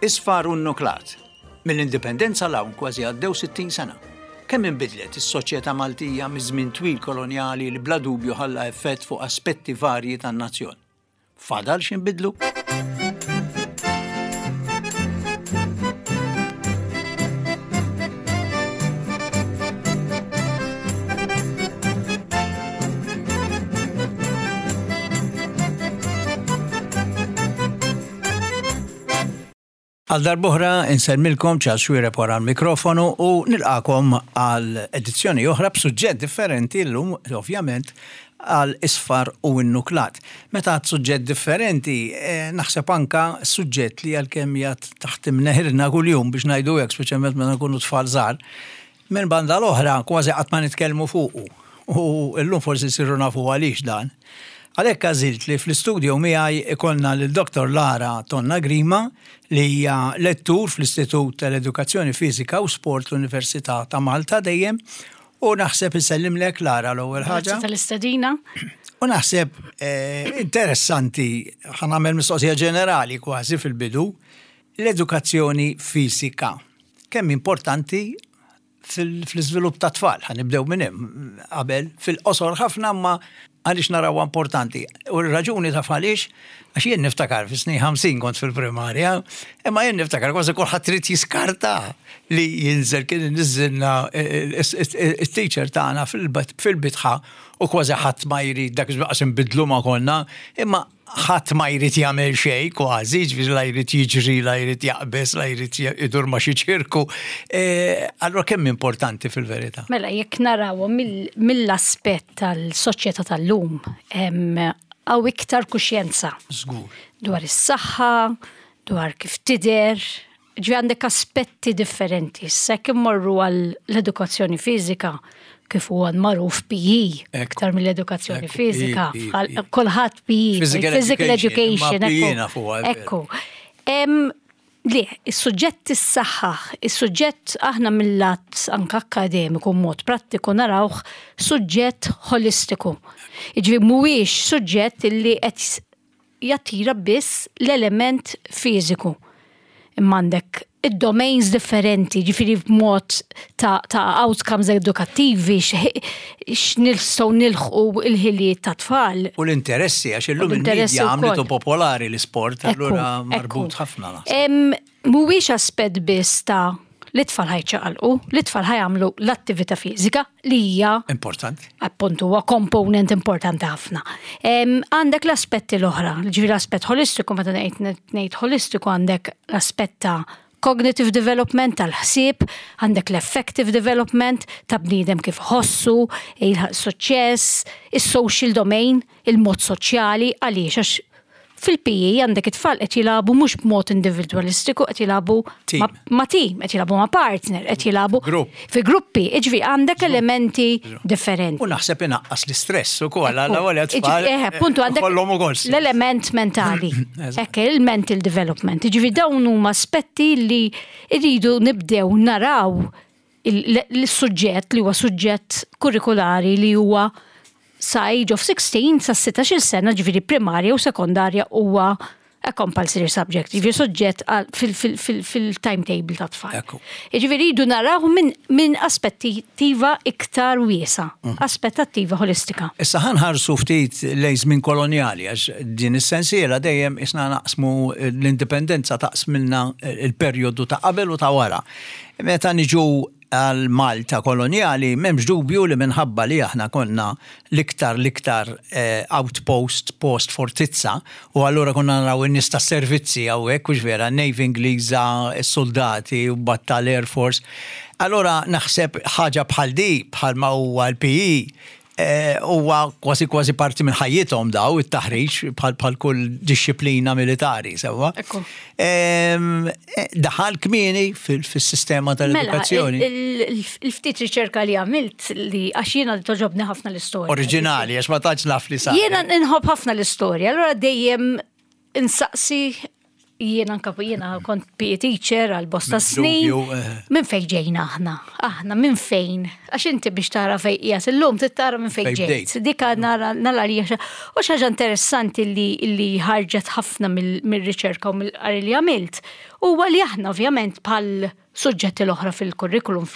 Isfar u nnuklat. Mill-Indipendenza 'l hawn kważi għaddew 60 sena. Kemm inbidlet is-soċjetà Maltija miż-żmien twil kolonjali li bla dubju ħalla effett fuq aspetti varji tan-nazzjon. Fadal x'inbidlu? Għal darb'oħra insellmilkom Charles Xuereb wara l-mikrofonu u nilqakom għal edizzjoni oħra b'suġġett differenti llum ovvjament għal isfar u n-nuklat. Meta għad suġġett differenti, eh, naħseb anka suġġett li għalkemm jgħad taħt imneħirna kuljum biex ngħidu hekk, speċjalment meta nkunu tfal żgħar, Minn banda l-oħra kważi qatt ma nitkellmu fuqu u llum forsi nsiru nafu għaliex dan. Għalhekk għażilt li fl-istudio miegħi ikollna lil Dottor Lara Tonna Grima li hija lettur fl-Istitut tal-Edukazzjoni Fiżika u Sport l-Università ta' Malta dejjem u naħseb insellimlek Lara l-ewwel ħaġa. Grazzi tal-istedina. U naħseb eh, interessanti ħa nagħmel mistoqsija ġenerali kważi fil-bidu l-edukazzjoni fiżika. Kemm importanti fl-iżvilupp ta' tfal, ħa nibdew minn hemm qabel fil-qosor ħafna ma għaliex narawha importanti. U r-raġuni taf għaliex, għax jien niftakar fis-snin 50 kont fil-primarja, imma jien niftakar kważi kulħadd trid jiskarta li jinżel kien niżilna it-teacher tagħna fil-bitħa u kważi ħadd ma jrid dak iż-żmien inbidlu ma konna, imma ħadd ma jrid jagħmel xejn kważi, ġifieri la jrid jiġri, la jrid jaqbeż, la jrid idur ma' xi ċirku. E, allura kemm importanti fil-verità? Mela jekk narawhom mill-aspett tal-soċjetà tal-lum, hawn iktar kuxjenza. Żgur. Dwar is-saħħa, dwar kif tidher, Ġifieri għandek aspetti differenti. Issa jekk immorru għal l-edukazzjoni fiżika, kif huwa magħruf PE, iktar mill-edukazzjoni fiżika, kulħadd PE, physical education. Ekku. Le, is-suġġett is-saħħaħ, is-suġġett aħna mill-lat anke akkademiku mod prattiku narawh suġġett holistiku. Jiġifieri mhuwiex suġġett illi qed jattira biss l-element fiżiku. Imma għandek id-domains differenti, ġifiri b'mod ta', ta outcomes edukattivi, x'nistgħu nilħqu il-ħiliet ta' tfal. U l-interessi, għax illum il-media għamlitu popolari l-isport, allura marbut ħafna. Mhuwiex aspett biss ta' li tfal ħajċaqalqu, li tfal ħajamlu l-attività fiżika li hija importanti. Appuntu huwa komponent importanti ħafna. Għandek l-aspetti l-oħra, ġifieri l-aspett holistiku meta ngħid ngħid holistiku għandek l-aspett ta' cognitive development tal-ħsieb, għandek l-affective development ta' bniedem kif ħossu, jilħaq suċċess, is-social domain, il-mod soċjali għaliex għax fil-PE għandek it-tfal qed jilagħbu mhux b'mod individwalistiku qed jilagħbu ma' team, qed jilagħbu ma' partner, qed jilagħbu fi gruppi, jiġifieri għandek elementi differenti. U naħseb inaqqas l-istress ukoll għal ewwel tfal. Eh, appuntu għandek l-element mentali. Hekk il-mental development. Jiġifieri dawn huma aspetti li rridu nibdew naraw l-suġġett li huwa suġġett kurrikulari li huwa sa age of 16 sa 16 sena ġifieri primarja u sekondarja huwa a compulsory subject, ġifieri suġġett fil-timetable ta' tfal. Ġifieri jridu naraw minn aspettiva iktar wiesa, mhm. aspettattiva holistika. Issa ħanħarsu ftit lejn żmien kolonjali għax din is-sensiela dejjem isna naqsmu l-indipendenza taqsmilna il-perjodu ta' qabel u ta' wara. Meta niġu għal Malta kolonjali, m'hemmx dubju li minħabba li aħna konna l-iktar l-iktar outpost, post fortizza, u allura konna naraw in-nies tas-servizzi hawnhekk, hux vera, n-Navy Ingliża, is-suldati, u mbagħad tal-Air Force. Allura naħseb ħaġa bħal di, bħalma huwa l-PE, Huwa kważi kważi parti minn ħajjithom daw it-taħriġ bħal kull dixxiplina militari, sewwa. Daħal kmieni fis-sistema mela, tal-edukazzjoni. Il-ftit riċerka li għamilt li għax jiena toġobni ħafna l-istorja. Oriġinali, għax ma tantx naf li sa. Jiena nħobb ħafna l-istorja, allura dejjem insaqsi. Jiena anka jiena kont PE teacher għal bosta snin. Minn fejn ġejna aħna? Aħna minn fejn? Għax inti biex tara fejn qiegħed illum trid tara minn fejn ġejt. Dik nara nara li u xi ħaġa interessanti li ħarġet ħafna mir-riċerka u mill-qari li għamilt huwa li aħna ovvjament bħal suġġetti l-oħra fil-kurrikulum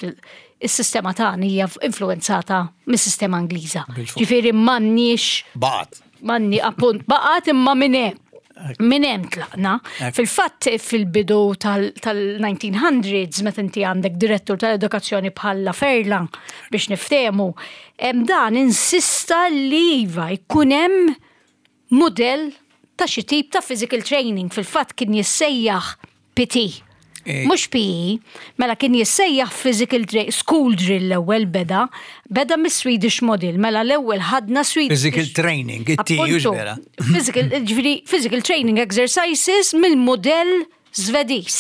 is-sistema tagħna hija influenzata mis-sistema Ingliża. Ġifieri m'għandniex Baqgħet. Manni appunt baqgħet imma minn hemm. Minn hemm tlaqna. Fil-fatt fil-bidu tal-1900s meta inti għandek direttur tal-edukazzjoni bħal Laferla biex niftehmu, hemm dan insista li iva jkun hemm mudell ta' xi tip ta' physical training. Fil-fatt kien jissejjaħ PT. Mhux PE, mela kien jissejjaħ physical drill, school drill l-ewwel beda, beda mis-Swedish model, mela l-ewwel ħadna Swedish. Physical training, it-T vera. Physical, ġifieri, physical training exercises mill-modell Svediż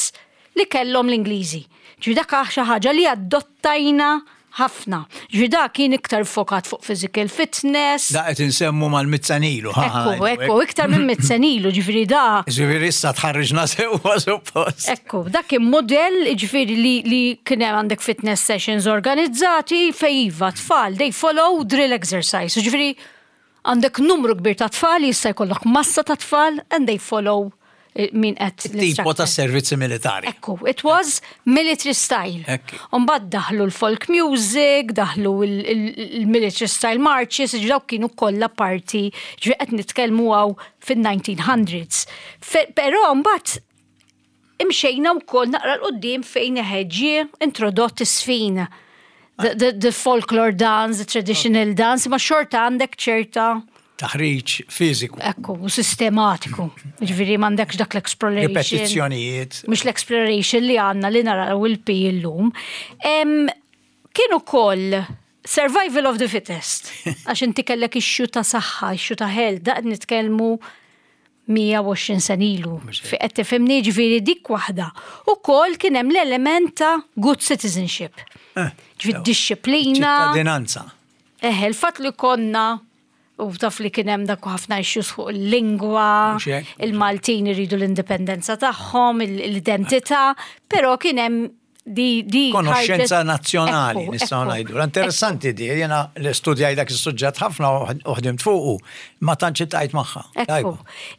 li kellhom l-Ingliżi. Ġifieri dak xi ħaġa li adottajna ħafna. Ġifieri dak kien iktar fokat fuq physical fitness. Da qed insemmu mal-mitt sena ilu. Ekku, ekku, iktar minn mitt sena ilu, ġifieri da. Ġifieri issa tħarriġna sewwa suppost. Ekku, dak kien modell ġifieri li kien hemm għandek fitness sessions organizzati fej iva tfal, they follow drill exercise. Ġifieri għandek numru kbir ta' tfal, jista' jkollok massa ta' tfal and they follow min qed Tipo l-instructor. ta' servizzi militari. Ekku, it was military style. Umbagħad daħlu l-folk music, daħlu il-military style marches, ġifieri dawk kienu kollha parti, ġifieri qed nitkellmu hawn fin-1900s. Però mbagħad imxejna wkoll naqra 'l quddiem fejn ġie introdott is-sfin. The folklore dance, the traditional dance, ma xorta għandek ċerta taħriġ fiżiku. Ekku, u sistematiku. Ġifieri m'għandekx dak l-exploration. Ripetizzjonijiet. Mhux l-exploration li għandna li naraw il-PE illum. Kien ukoll survival of the fittest. Għax inti kellek issue ta' saħħa, issue ta' health, daqt nitkellmu 120 sena ilu. Fi qed tifhimni ġifieri dik waħda. Ukoll kien hemm l-element ta' good citizenship. Ġifieri disċiplina. Ċittadinanza. Eħe, il-fatt li konna u taf li kien hemm dak ħafna issues fuq il-lingwa, Mhux hekk. il-Maltin iridu l-indipendenza tagħhom, l-identità, però kien hemm di Konoxxenza ħarġet- nazzjonali, nistgħu ngħidu. Interessanti di, jiena li studjaj dak is-suġġett ħafna u ħdimt fuqu, ma tantx iltqajt magħha. Ekku.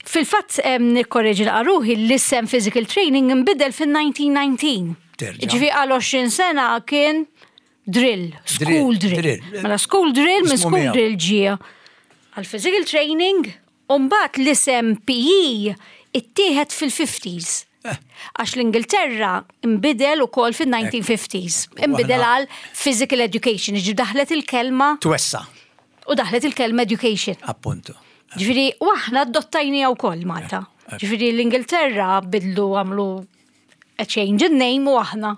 Fil-fatt nikkorreġi ruħi l-isem physical training nbidel fil-1919. Terġa'. Ġifieri għal 20 sena kien drill, school drill. Drill. Mela school drill minn Ismu school miegħu. drill ġie għal physical training, u mbagħad l-isem PE ittieħed fil-50s. Għax l-Ingilterra imbidel ukoll fil-1950s. Imbidel għal physical education, ġi daħlet il-kelma Twessa, u daħlet il-kelma education. Appuntu. Ġifieri, u aħna adottajni wkoll Malta. Ġifieri l-Ingilterra bidlu għamlu a change in name u aħna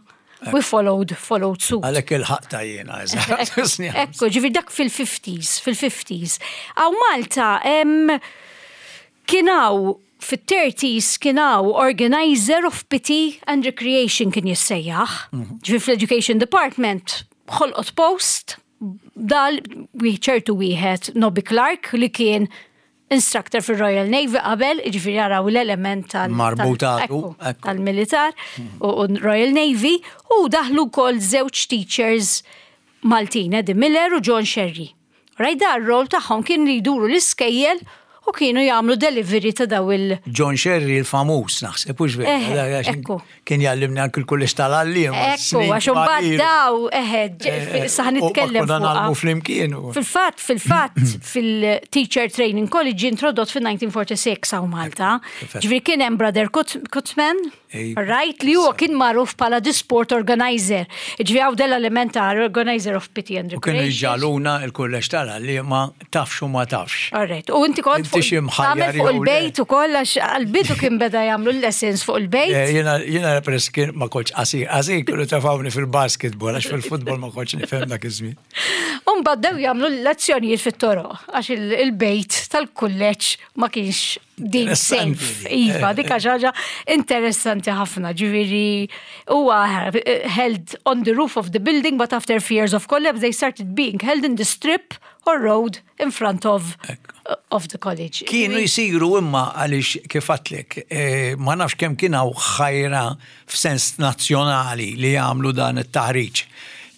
we followed suit. Għalhekk il-ħaqta jiena, eżatt. Ekku, ġifieri dak fil-50s, fil-50s. Hawn Malta, kien hawn fit-30s kien hawn organizer of PT and Recreation kien jissejjaħ. Ġifieri fl-Education Department ħolqot post dal ċertu wieħed Nobby Clark li kien instructor fil-Royal Navy qabel, ġifieri jaraw l-element Marbutatu, ekku. tal-militar u Royal Navy, u daħlu wkoll żewġ teachers Maltin, Eddie Miller u John Sherry. Rajda r-rol tagħhom kien li jduru l-iskejjel u kienu jagħmlu delivery ta' daw il- John Sherry il-famuż, naħseb, hux vera, dak għax Ekku. Kien jgħallimni anke l-kulleġġ tal-għalliem. Ekku, għax imbagħad daw, eħe, saħ nitkellem Konna fuqha. nagħmlu flimkien. Fil-fatt, fil-fatt, fil-Teacher Training College ġie introdott fil-1946 hawn Malta. Ġifieri kien hemm Brother Kutman, right, li huwa kien magħruf bħala the sport organizer. Ġifieri hawn dell-element ta' organizer of PT and U kienu Recreation. jġagħluna il-kulleġġ tal-għalliem ma tafx u ma tafx. All right. U inti kont Inti xi mħajjar tagħmel fuq jew le. il-bejt ukoll għax għal-bidu kien beda jagħmlu l-lessons fuq il-bejt. Jiena peress kien ma kontx qasir, qasir kienu tefgħuni fil-basketball, għax fil-futbol ma kontx nifhem dak iż-żmien. U mbagħad bdew jagħmlu l-lezzjonijiet fit-toroq għax il-bejt tal-kulleġġ ma kienx Din safe, iva, dik ħaġa interessanti ħafna, ġifieri huwa held on the roof of the building, but after fears of collapse they started being held in the strip or road in front of of the college. Kienu jisiru imma għaliex kif għatlek, eh, ma nafx kemm kien hawn ħajra f'sens nazzjonali li jagħmlu dan it-taħriġ.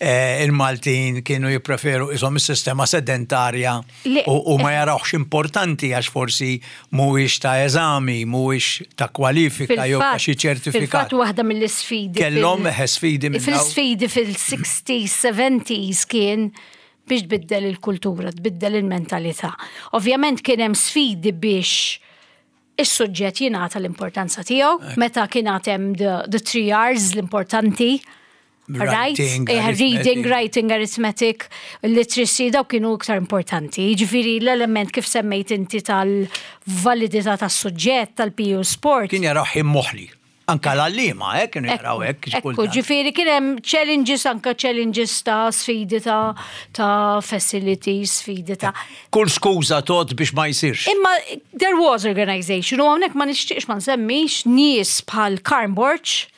Eh, il-Maltin kienu jippreferu isom is-sistema sedentarja u ma jarawx importanti għax forsi mhuwiex ta' eżami, mhuwiex ta' kwalifika jew ta' xi ċertifikat. Fil-fatt waħda mill-isfidi. Kellhom eh, sfidi minn Fil-sfidi fil-60s, 70s kien biex tbiddel il-kultura, tbiddel il-mentalità. Ovvjament kien hemm sfidi biex is-suġġett jingħata l-importanza tiegħu, meta kien hemm the, the three R's l-importanti. Right? Writing, eh, reading, arithmetic. writing, arithmetic, literacy, daw kienu iktar importanti. Jiġifieri l-element kif semmejt inti tal-validità tas-suġġett tal-PU sport. Kien jaraw ħin moħli. Anka l-għalliema, eh, kienu jaraw hekk. xi Ekku, kultant. ġifieri kien hemm challenges anka challenges ta' sfidi ta' ta' facilities, sfidi ta' Kull skuża tot biex ma jsirx. Imma there was organization u hawnhekk ma nixtieqx ma nsemmix nies bħal Karm Borg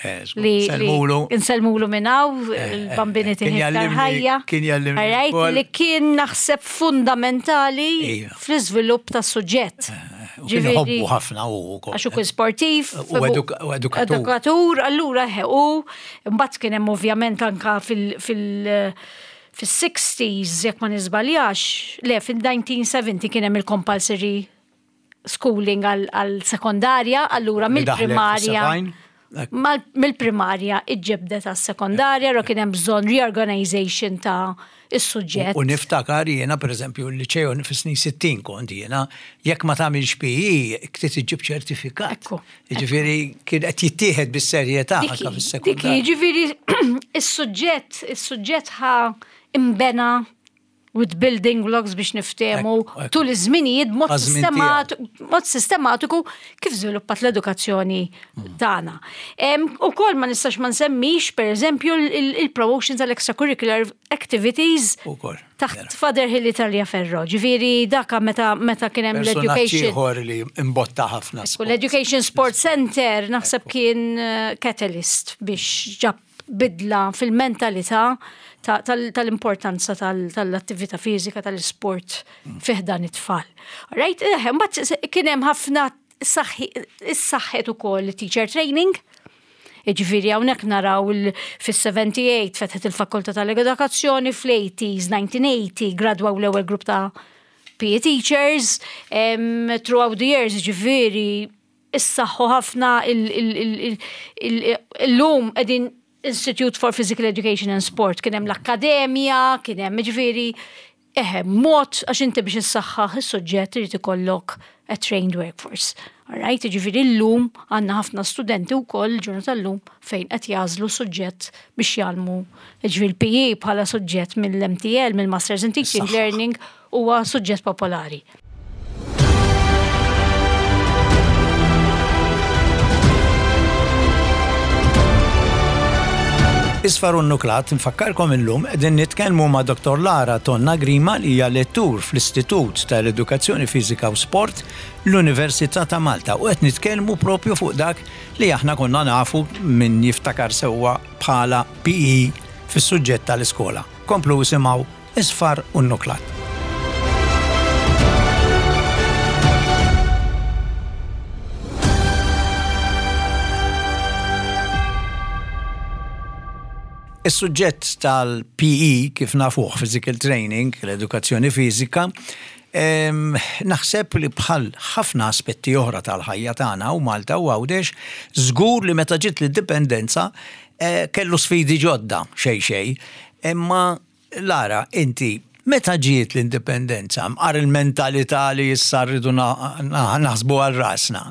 Eh, żgur. li Selmulu. li Insellmulu minn hawn, il-bambini eh, kien tiħi iktar jallimni- ħajja. kien jallimni Alright, wkoll. Li kien naħseb fundamentali Iva. fl-iżvilupp tas-suġġett. U kien iħobbu ħafna u wkoll. Għax u kien sportiv. U eduka- u edukatur. Edukatur, allura he, u mbagħad kien hemm ovvjament anka fil- fil- fis-60s, jekk ma niżbaljax, le fil-1970 kien hemm il-compulsory schooling għal sekondarja, allura Li daħlet mill-primarja. fis-sebgħin. Ekku. mal- Mill-primarja iġġebdet għas sekondarja, ro kien hemm bżonn reorganization ta' is-suġġett. U niftakar jiena, per eżempju, l-liceo fis-snin 60 kont jiena, jekk ma tagħmilx PE, ktiet iġġib ċertifikat. Ekku, Jiġifieri kien qed jittieħed bis-serjetà anke Diki, fis-sekondarja. ġifiri, is-suġġett, is-suġġett ħa imbena with building blocks biex niftehmu Ekku, ekku. tul iż-żminijiet mod Għaż-żmien sistemat- mod sistematiku kif żviluppat l-edukazzjoni tagħna. Ukoll ma nistax ma nsemmix pereżempju il-promotion tal-extracurricular activities Ukoll, taħt Father Hill Italia Ferro. Ġifieri daka meta meta kien hemm Personaġġ l-education. ieħor li imbotta ħafna. U l-Education Sport Center naħseb kien eh, catalyst biex ġab bidla fil-mentalità ta- tal- tal-importanza tal- tal-attività fiżika tal-sport fih dan it-tfal. Right? Eh, Mbagħad kien hemm ħafna is-saħħet ukoll teacher training. Ġifieri hawnhekk naraw il- fis-78 fetħet il-Fakultà tal-Edukazzjoni, fl-80s, 1980 gradwaw l-ewwel grupp ta' PE teachers, em, throughout the years, ġifieri, issaħħu ħafna il-lum qegħdin Institute for Physical Education and Sport, kien hemm l-akkademja, kien hemm ġifieri, eħe, mod għax inti biex issaħħaħ is-suġġett irid ikollok a trained workforce. Alright, ġifieri llum għandna ħafna studenti wkoll ġurnata llum fejn qed jagħżlu suġġett biex jgħallmu ġifieri l-PE bħala suġġett mill-MTL, mill-Masters in Teaching Is-saħħa. Learning huwa suġġett popolari. Isfar u nuklat, nfakkarkom illum qegħdin nitkellmu ma' Dr. Lara Tonna Grima li hija lettur fl-Istitut tal-Edukazzjoni Fiżika u Sport l-Università ta' Malta u qed nitkellmu propju fuq dak li aħna konna nafu min jiftakar sewwa bħala PE fis-suġġett tal-iskola. Komplu isimgħu Isfar u nuklat. Is-suġġett tal-PE kif nafuh physical training, l-edukazzjoni fiżika, em, naħseb li bħal ħafna aspetti oħra tal-ħajja tagħna u Malta u Għawdex, żgur li meta ġiet l-indipendenza eh, kellu sfidi ġodda xejn xejn, imma Lara, inti meta ġiet l-indipendenza, mqar il-mentalità li issa rridu na- na- naħsbu għal rasna.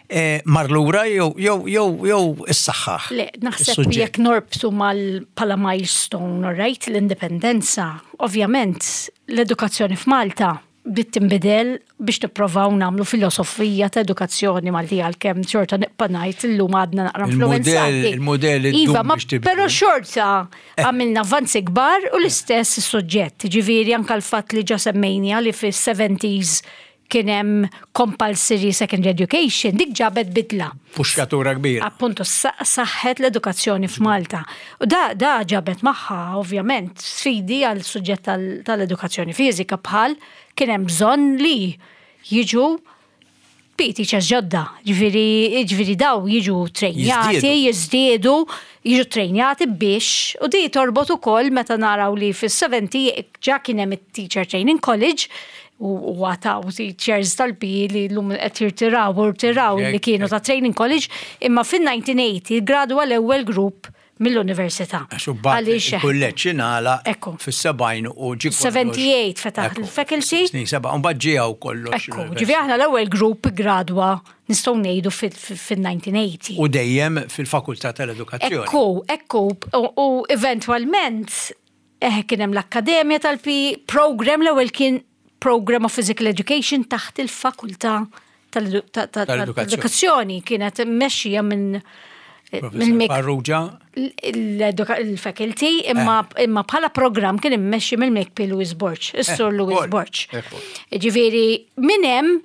Eh, mar lura jew jew jew jew issaħħaħ. Le, naħseb is-suġġett. jekk norbtu mal pala milestone, all right, l-indipendenza, ovvjament l-edukazzjoni f'Malta bdiet tinbidel biex nipprovaw nagħmlu filosofija ta' edukazzjoni Maltija għalkemm xorta nibqa' ngħid illum għadna naqra Il-mudell- influenzati. il-mudell iddum Iva, ma biex tibdel. però xorta għamilna avvanzi kbar u l-istess is-suġġett. Ġifieri anke l-fatt li ġa semmejnija li fis-70s kien hemm compulsory secondary education, dik ġabet bidla. Puxkatura kbira. Appuntu, saħħet l-edukazzjoni f'Malta. U da, da ġabet magħha, ovvjament, sfidi għal suġġett tal-edukazzjoni fiżika bħal kien hemm bżonn li jiġu PE teachers ġodda, ġifieri ġifieri daw jiġu trejnjati, jiżdiedu, jiġu trejnjati biex, u di torbot ukoll meta naraw li fis-70 ġa kien hemm it-Teacher Training College, u għataw teachers tal-PE li l-lum qed jirtiraw u rtiraw li kienu ta' training college, imma fin-1980 gradwa l-ewwel grupp mill-università. Għax imbagħad il-kulleġġ ingħalaq fis-70 u ġie kollox. 78 fetaħ il-faculty. Snin seba' u mbagħad ġie hawn kollox. Ekku, ġifieri aħna l-ewwel grupp iggradwa nistgħu ngħidu fil-1980. U dejjem fil-Fakultà tal-Edukazzjoni. Ekku, ekku, u eventwalment eh, kien hemm l-Akkademja tal-PE, program l-ewwel kien Program of Physical Education taħt il-Fakultà tal-Edukazzjoni kienet mmexxija minn minn Farrugia il-faculty imma eh. imma bħala programm kien immexxi mill-MKP Louis Borg, is-Sur eh, Louis Borg. Ġifieri minn hemm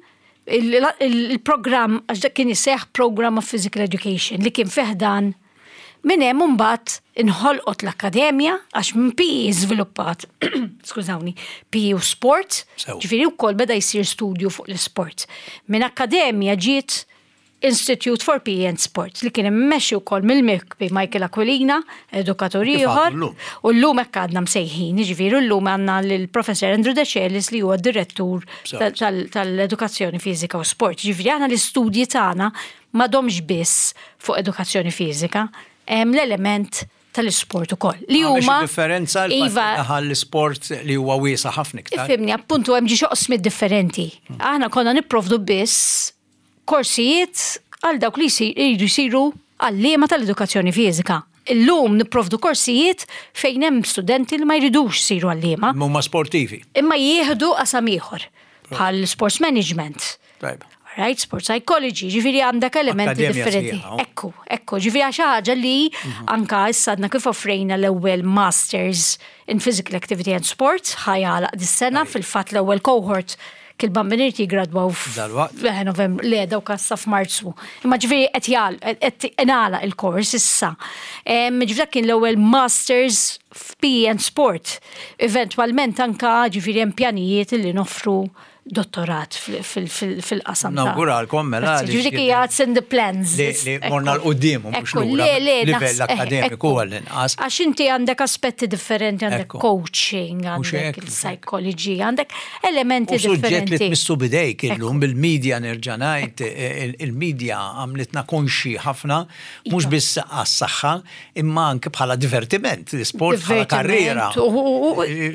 il-programm għax dak kien iseħħ Program of Physical Education li kien feħdan Minn hemm imbagħad inħolqot l-akkademja għax minn PE żviluppat, skużawni, PE u sport, ġifieri wkoll beda jsir studju fuq l-isport. Minn akkademja ġiet Institute for PE and Sport li kien immexxi wkoll mill-MIKP Michael Aquilina, edukatur ieħor, u llum hekk għadna msejħin, jiġifieri llum għandna lill-Professor Andrew Decelis li huwa d-direttur tal-edukazzjoni fiżika u sport. Jiġifieri aħna l-istudji tagħna m'għadhomx biss fuq edukazzjoni fiżika, hemm l-element tal-isport ukoll. Li huma differenza iva l-isport li huwa wiesa' ħafna iktar. Ifhimni, appuntu hemm ġi oqsmiet differenti. Aħna konna nipprovdu biss korsijiet għal dawk li jridu jsiru għalliema tal-edukazzjoni fiżika. Illum nipprovdu korsijiet fejn hemm studenti li ma jridux jsiru għalliema. Imma huma sportivi. Imma jieħdu qasam ieħor bħal sports management. Tajba. Right, sport psychology, ġifiri għandek elementi differenti. Ekku, ekku, ġifiri għax ħaġa li mhm. anka issa għadna kif offrejna l-ewwel Masters in Physical Activity and Sport ħajala dis-sena fil-fatt l-ewwel cohort kil-bambiniet jigradwaw f'Novembru, le dawk issa f'Marzu. Imma ġifieri qed jgħal qed ingħalaq il-kors issa. Ġifieri dak kien l-ewwel Masters f'PE and Sport. Eventwalment anka ġifieri hemm pjanijiet li noffru dottorat fil-qasam. Nawguralkom mela. Ġifieri hija it's in the plans. Li morna l-qudiem mhux lura. Le, le, livell akademiku għall-inqas. Għax inti għandek aspetti differenti, għandek coaching, għandek il-psychology, għandek elementi differenti. Suġġett li tmissu bidejk illum bil-media nerġa' ngħid, il-media għamlitna konxi ħafna, mhux biss għas-saħħa, imma anke bħala divertiment, l-isport bħala karriera.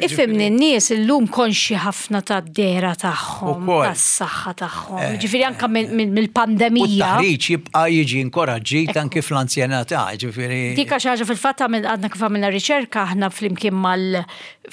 Ifhimni n-nies illum konxji ħafna tad-dehra tagħhom, tas-saħħa tagħhom. Eh, ġifieri anke mill-pandemija. U taħriġ jibqa' jiġi inkoraġġit anke fl-anzjanità, ġifieri. Dik xi ħaġa fil-fatt għadna kif għamilna riċerka aħna flimkien mal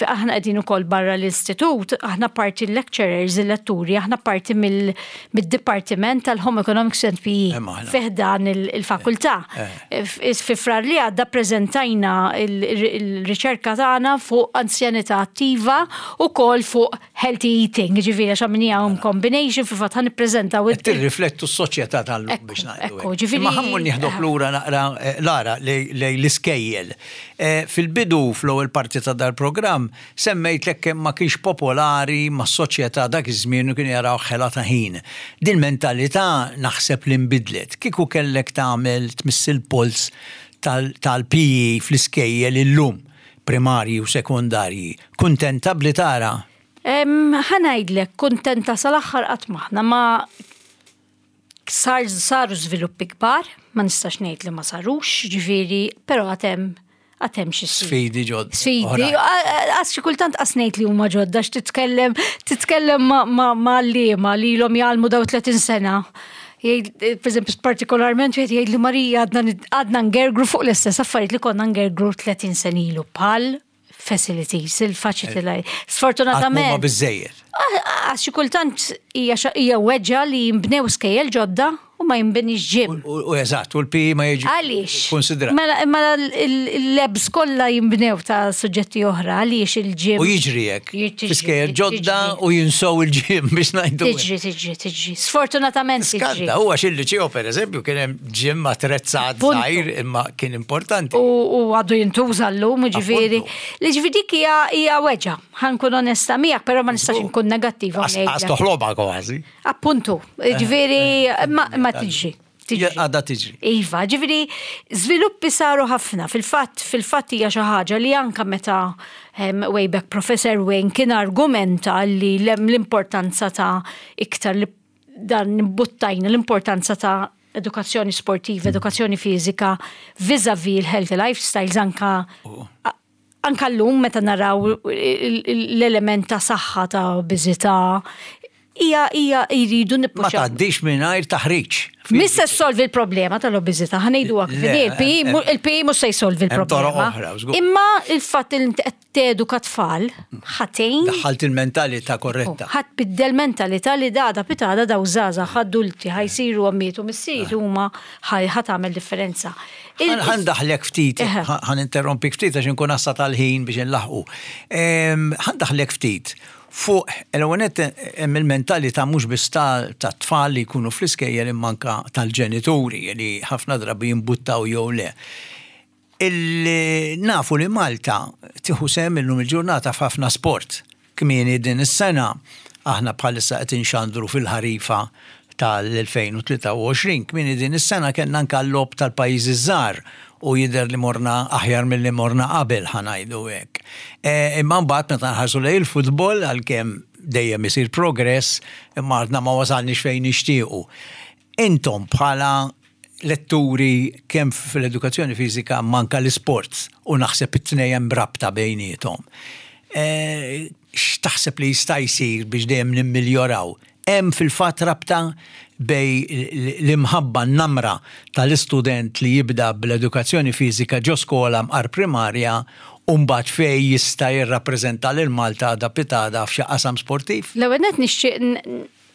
aħna qegħdin ukoll barra l-istitut, aħna parti l-lecturers, il-letturi, aħna parti mid-Dipartiment tal-Home Economics and PE fi ħdan il-fakultà. Eh. Fi frar li għadda preżentajna il-riċerka tagħna fuq anzjanità attiva u kol fuq healthy eating, ġifieri għax għamilniehom combination fil-fatt ħa nippreżentaw. Qed tirriflettu s-soċjetà tal-lum biex ngħidu. Ekku, ġifieri. Imma ħa mmur nieħdok lura naqra eh, Lara lejn l-iskejjel. Eh, fil-bidu fl-ewwel parti ta' dal-programm semmejtlek kemm ma kienx popolari mas-soċjetà dak iż-żmien u kienu jaraw ħela ta' ħin. Din mentalità naħseb li nbidlet. Kieku kellek tagħmel tmiss il-polz tal-PE fl-iskejjel illum primarji u sekondarji, kuntenta b'li tara? Ħa ngħidlek, kuntenta sal-aħħar qatt m'aħna ma sar saru żviluppi kbar, ma nistax ngħid li ma sarux, ġifieri, però għad hemm għad hemm xi sfidi ġodda. Sfidi, għax xi kultant qas ngħid li huma ġodda għax titkellem titkellem ma' għalliema li ilhom jgħallmu daw 30 sena. Per eżempju, partikolarment wieħed jgħid li Marija għadna ngergru fuq l-istess affarijiet li konna ngergru 30 sena ilu bħal facilities, il-faċilitajiet. Eh, Sfortunatament. Ma biżejjed. Għax xi kultant hija weġġa li jinbnew skejjel ġodda u u ma jinbinix gym. U eżatt, u l-PE ma jiġi Għaliex? Konsidra. Mela, mela l-labs kollha jinbnew ta' suġġetti oħra, għaliex il-gym. U jiġri hekk. Fiskejjer ġodda u jinsow il-gym biex ngħidu. Tiġri, tiġri, tiġri. Sfortunatament tiġri. Skanta, huwa xil-liċeo pereżempju kien hemm gym attrezzat żgħir imma kien importanti. U għadu jintuża llum, ġifieri. Li ġifieri dik hija weġa. Ħa nkun onesta miegħek, però ma nistax inkun negattiva. Għas toħlomha kważi. Appuntu, eh, ġifieri eh, ma tiġri. Għadha tiġri. Iva, ġifieri żviluppi saru ħafna. Fil-fatt, fil-fatt hija xi ħaġa li anka meta way back Professor Wayne kien argumenta li l-importanza ta' iktar li dan buttajna l-importanza ta' edukazzjoni sportiva, edukazzjoni fiżika vis-a-vis l-healthy lifestyles anka oh. Anka llum meta naraw l-element ta' saħħa ta' obeżità, hija hija jridu nippuxaw. Ma tgħaddix mingħajr taħriġ. Mhix se ssolvi l-problema tal-obeżità, ħa ngħiduha kif inhi, il-PE mhux se jsolvi l-problema. Imma il-fatt li inti qed teduka tfal ħatejn. Daħħalt il-mentalità korretta. Ħa tbiddel mentalità li dada pitada daw żgħażagħ adulti ħa jsiru ommijiet u missierijiet huma ħa tagħmel differenza. Ħa ndaħħlek ftit, ħa ninterrompik ftit għax inkun għassa tal-ħin biex inlaħħqu. Ħa ndaħħlek ftit fuq l-ewwel nett hemm il-mentalità mhux biss tat-tfal li jkunu fl-iskejjel imma anke tal-ġenituri li ħafna drabi jimbuttaw jew le. Nafu li Malta tieħu sehem illum il-ġurnata f'ħafna sport. Kmieni din is-sena, aħna bħalissa qed inxandru fil-ħarifa tal-2023, kmieni din is-sena kellna anke l-Logħob tal-Pajjiżi ż-Żgħar u jidher li morna aħjar milli morna qabel ħa ngħidu hekk. Imma mbagħad meta nħarsu lejn il-futbol għalkemm dejjem isir progress imma għadna ma wasalniex fejn nixtiequ. Intom bħala letturi kemm fl-edukazzjoni fiżika imma anke l-isports u naħseb it-tnejn hemm rabta bejniethom. X'taħseb li jista' jsir biex dejjem nimmiljoraw? Hemm fil-fatt rabta bejn l-imħabba, n-namra tal-istudent li jibda bl-edukazzjoni fiżika ġo skola mqar primarja u mbagħad fejn jista' jirrappreżenta lil Malta għada pitgħada f'xi qasam sportiv? L-ewwel nett nixtieq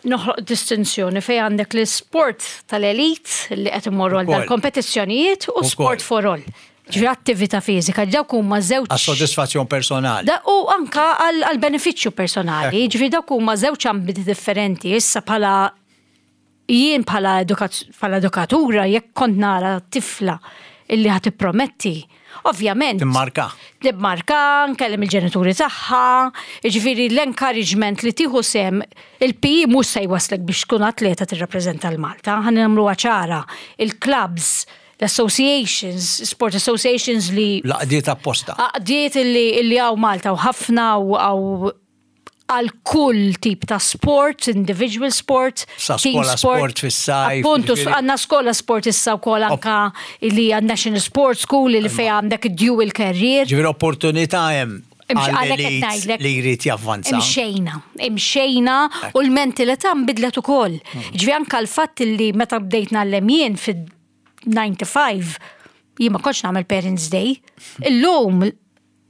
noħloq distinzjoni fejn għandek l-isport tal-elit li qed imorru għal dal-kompetizzjonijiet u sport for all. Ġifieri attività fiżika, dawk huma żewġ. Għas-sodisfazzjon personali. U anka għall-benefiċċju personali, ġifieri dawk huma żewġ ambiti differenti. Issa bħala jien bħala edukatura jekk kont nara tifla illi ħa tipprometti, ovvjament. Timmarka. Timmarka, nkellem il-ġenituri tagħha, jiġifieri l-encouragement li tieħu sehem il-PE mhux se jwasslek biex tkun atleta tirrappreżenta 'l Malta, ħa nagħmluha ċara, il-clubs, l-associations, sport associations li. L-għaqdiet apposta. Għaqdiet illi hawn Malta u ħafna u hawn għal kull tip ta' sport, individual sport, Sa team skola sport fis-sajf. Appuntu, għandna skola sport issa wkoll anka li hija National Sports School li fejn għandek dual career. Ġifieri opportunità hemm għall-elit li jrid javvanza. Imxejna, imxejna u l-mentalità nbidlet ukoll. Ġifieri anka l-fatt li meta bdejt ngħallem jien fid-95 jien ma kontx nagħmel Parents Day. Illum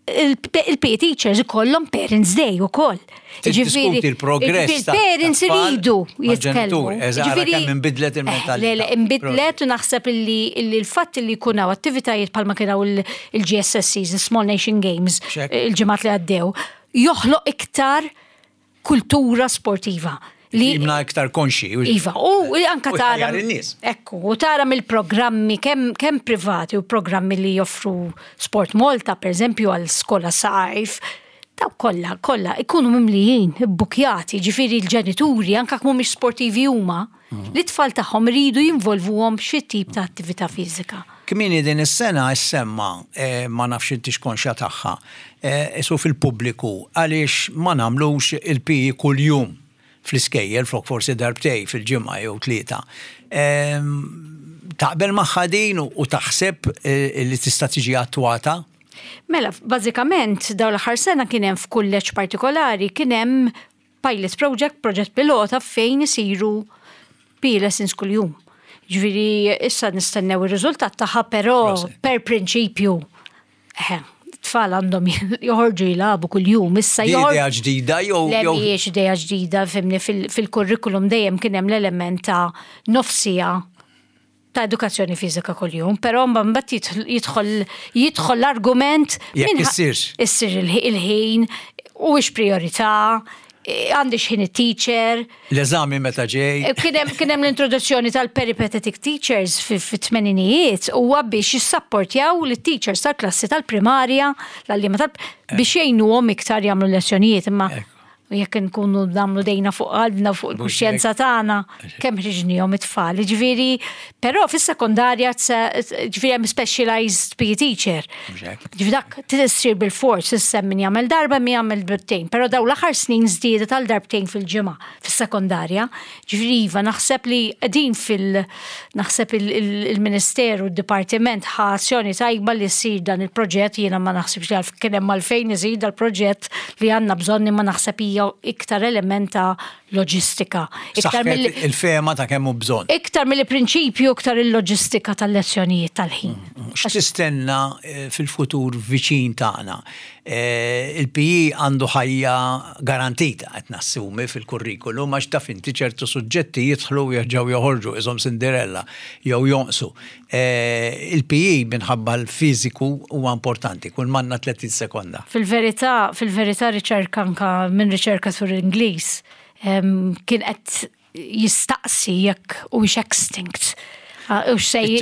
il-PE teachers ikollhom Parents Day ukoll. Ġifieri il-progress. Il-parents iridu jitkellmu. Ġifieri kemm inbidlet il-mentalità. Le, le, inbidlet u naħseb illi l-fatt li jkun hawn attivitajiet bħalma kien hawn il-GSSCs, il-Small Nation Games, il-ġimgħat li għaddew, joħloq iktar kultura sportiva. Li jimna iktar konxi. Iva, u anka tara. Ekku, u tara mill-programmi kemm kem privati u programmi li joffru Sport Malta, per eżempju, għal skola sajf, daw kollha, kollha ikunu mimlijin, ibbukjati, ġifieri l-ġenituri, anka mhumiex sportivi huma, li t-tfal tagħhom iridu jinvolvuhom f'xi tip ta' attività fiżika. Kmieni din is-sena issemma, ma nafx intix konxja tagħha, isu fil-pubbliku għaliex ma nagħmlux il-PE kuljum fl-iskejjel flok forsi darbtejn fil-ġimgħa jew tlieta. Taqbel magħha din u taħseb li tista' tiġi attwata? Mela, bażikament dawn l-aħħar sena kien hemm f'kulleġġ partikolari kien hemm pilot project, proġett pilota fejn isiru PE lessons kuljum. Ġifieri issa nistennew ir-riżultat tagħha però per prinċipju. Tfal għandhom joħorġu jilagħbu kuljum issa joħorġu. Idea ġdida jew. Le mhijiex idea ġdida fimni fil-kurrikulum dejjem kien hemm l-element ta' nofsija ta' edukazzjoni fiżika kuljum, però mbagħad jidħol jidħol l-argument jekk issirx. Issir il-ħin u priorità, għandi xħin it-teacher. L-eżami meta ġej. Eh, kien hemm l-introduzzjoni tal-peripatetic teachers fit-tmeninijiet huwa biex jissapportjaw lit-teachers tal-klassi tal-primarja, l-għalliema tal biex jgħinuhom iktar jagħmlu lezzjonijiet imma jekk nkunu nagħmlu dejna fuq qalbna fuq il-kuxjenza tagħna kemm ħriġnihom it-tfal. Ġifieri, però fis-sekondarja ġifieri hemm specialized PE teacher. Ġifieri dak tissir bil-fors issa min jagħmel darba min jagħmel darbtejn, però daw l-aħħar snin żdiedet għal darbtejn fil-ġimgħa fis-sekondarja. Ġifieri iva naħseb li qegħdin fil naħseb il-Ministeru d-Dipartiment ħa azzjoni tajba li ssir dan il-proġett jiena ma naħsibx li kien hemm għalfejn isir dal-proġett li għandna bżonn imma naħseb hija iktar element ta' loġistika. Iktar mill il-fehma ta' kemm hu bżonn. Iktar mill-prinċipju iktar il-loġistika tal-lezzjonijiet tal-ħin. Mm, mm. X'tistenna eh, fil-futur viċin tagħna? Eh, Il-PE għandu ħajja garantita qed nassumi fil-kurrikulum għax taf inti ċertu suġġetti jidħlu u jerġgħu joħorġu iżhom Cinderella jew jonqsu. Eh, Il-PE minħabba l-fiżiku huwa importanti, kull manna 30 sekonda. Fil-verità, fil-verità riċerka anka minn riċerkatur Ingliż kien qed jistaqsi jekk huwiex extinct. U xej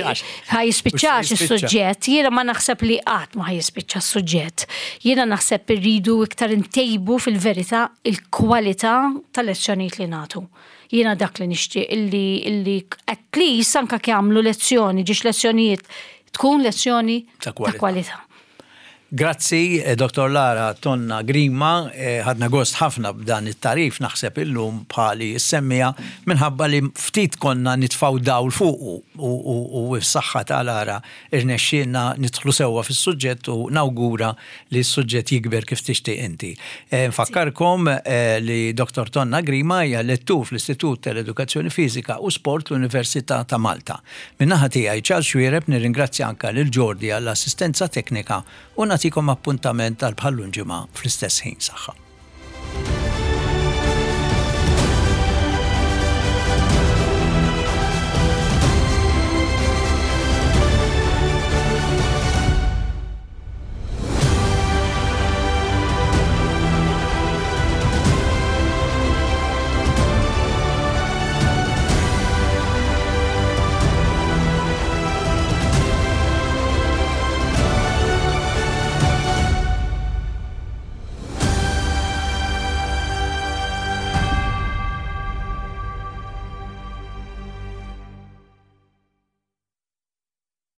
ħa jispiċċax is-suġġett. Jiena ma naħseb li qatt ma ħa jispiċċa s-suġġett. Jiena naħseb irridu iktar intejbu fil-verità il-kwalità tal-lezzjonijiet li nagħtu. Jiena dak li nixtieq illi illi at least anka jagħmlu lezzjoni, ġiex lezzjonijiet tkun lezzjoni ta' kwalità. Grazzi, eh, Dr. Lara Tonna Grima, eh, ħadna gost ħafna b'dan it-tarif naħseb illum bħali semmija minħabba li ftit konna nitfaw dawl fuqu u s-saħħa ta' Lara irnexxielna nidħlu sewwa fis-suġġett u nawgura li s-suġġett jikber kif tixtieq inti. Eh, nfakkarkom li Dr. Tonna Grima hija lettur fl-Istitut tal-Edukazzjoni Fiżika u Sport l-Università ta' Malta. Min-naħa tiegħi Charles Xuereb nirringrazzja anke lil Jordi għall-assistenza teknika u nagħtikom appuntament għal bħal-lum ġimgħa fl-istess ħin. Saħħa.